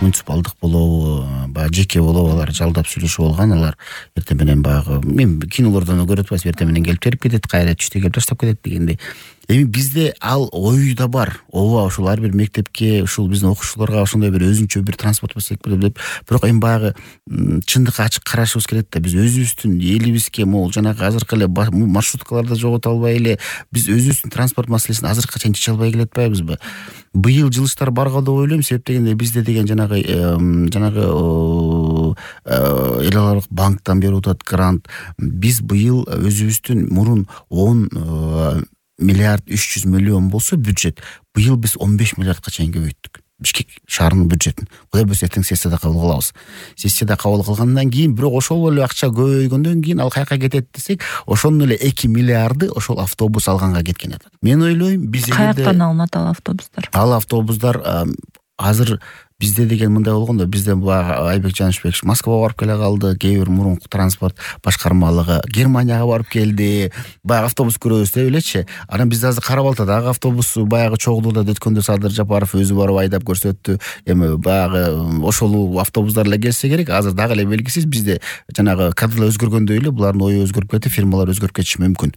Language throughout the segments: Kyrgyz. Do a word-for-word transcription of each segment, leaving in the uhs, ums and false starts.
муниципалдык болобу, баягы жеке болобу алар жалдап сүйлөшүп алган. Алар эртең менен баягы мен кинолордон көрүп атпайсызбы, эртең менен келип терип кетет, кайра түштө келип таштап кетет дегендей. Эми бизде ал ой да бар. Ооба, ушул ар бир мектепке, ушул биздин окуучуларга ошондой бир өзүнчө бир транспорт болсок деп. Бирок эми баягы чындыкка ачык карашыбыз керек да. Биз өзүбүздүн элибизге могул жанагы азыркы эле маршруткаларды жогото албай эле биз өзүбүздүн транспорт маселесин азыркыга чейин чече албай келатпайбызбы? Быйыл жылыштар барго деп ойлойм. Себеп дегенде бизде деген жанагы жанагы эл аралык банктан берип атат грант. Биз быйыл өзүбүздүн мурун он миллиард үч жүз миллион болсо бюджет, быйыл биз он беш миллиардка чейин көбөйттүк. Бишкек шаарынын бюджетин. Кудай буйрса эртең сессияда кабыл кылабыз. Сессияда кабыл кылгандан кийин, бирок ошол эле акча көбөйгөндөн кийин ал каяка кетет десек, ошонун эле эки миллиарды ошол автобус алганга кеткен атат. Мен ойлойм, биз каяктан алынат ал автобустар? Ал автобустар азыр бизде деген мындай болгондо, бизде баягы Айбек Жанышбек Москвага барып келе калды, кээ бир мурунку транспорт башкармалыгы Германияга барып келди. Баягы автобус көрөбүз деп элечи. Анан бизде азыр Кара-Балтадагы автобус баягы чогулууда өткөндө Садыр Жапаров өзү барып айдап көрсөттү. Эми баягы ошол автобустар эле келсе керек. Азыр дагы эле белгисиз, бизде жанагы кадрлар өзгөргөндөй эле булардын ою өзгөрүп кетти, фирмалар өзгөрүп кетиши мүмкүн.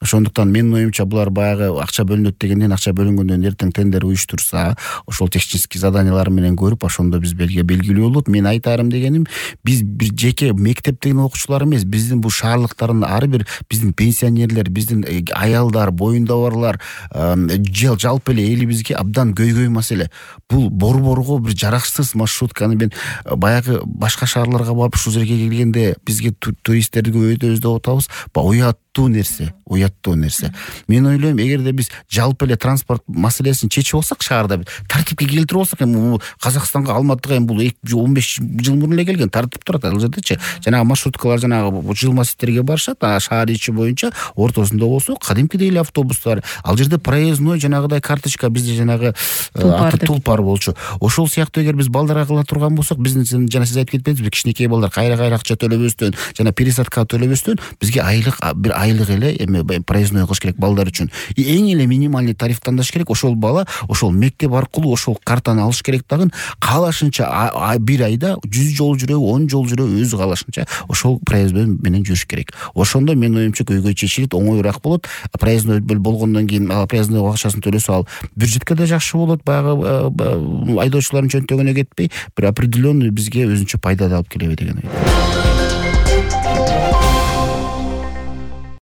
Ошондуктан менин оюмча булар баягы акча бөлүнөт дегенден, акча бөлүнгөндөн эртең тендер уюштурса, ошол технический заданиялар менен көрүп, ошондо биз белге белгилүү болот. Мен айтарым дегеним, биз бир жеке мектептеги окуучулар эмес, биздин бул шаарлыктардын ар бир биздин пенсионерлер, биздин аялдар, боюнда барлар, жалпы эле элибизге абдан көйгөй маселе. Бул борборго бир жараксыз маршрутканы мен баягы башка шаарларга барып ушул жерге келгенде бизге туристтерди көбөйтөбүз деп атабыз. Уяттуу нерсе, уяттуу нерсе. Мен ойлойм, эгерде биз жалпы эле транспорт маселесин чечип алсак, шаарда тартипке келтирип алсак, эми Казакстанга, Алматыга эми бул он беш жыл мурун эле келген, тартип турат ал жердечи. Жанагы маршруткалар жанагы жылма сеттерге барышат, шаар ичи боюнча ортосунда болсо кадимкидей эле автобустар. Ал жерде проездной жанагыдай карточка, бизде жанагы тулпар болчу. Ошол сыяктуу эгер биз балдарга кыла турган болсок, биздин жана сиз айтып кетпедиңизби, кичинекей балдар кайра-кайра акча төлөбөстөн, жана пересадка төлөбөстөн бизге айлык бир айлык эле эми проездной кылыш керек балдар үчүн. И эң эле минимальный тариф тандаш керек. Ошол бала ошол мектеп аркылуу ошол картаны алыш керек дагы. Каалашынча бир айда жүз жол жүрөбү, он жол жүрөбү, өзү каалашынча ошол проездной менен жүрүш керек. Ошондо мен оюмча көйгөй чечилет, оңоюраак болот. Проездной болгондон кийин проездной акчасын төлөсө ал бюджетке да жакшы болот. Баягы айдоочулардын чөнтөгүнө кетпей, бир определенный бизге өзүнчө пайда алып келеби деген ой.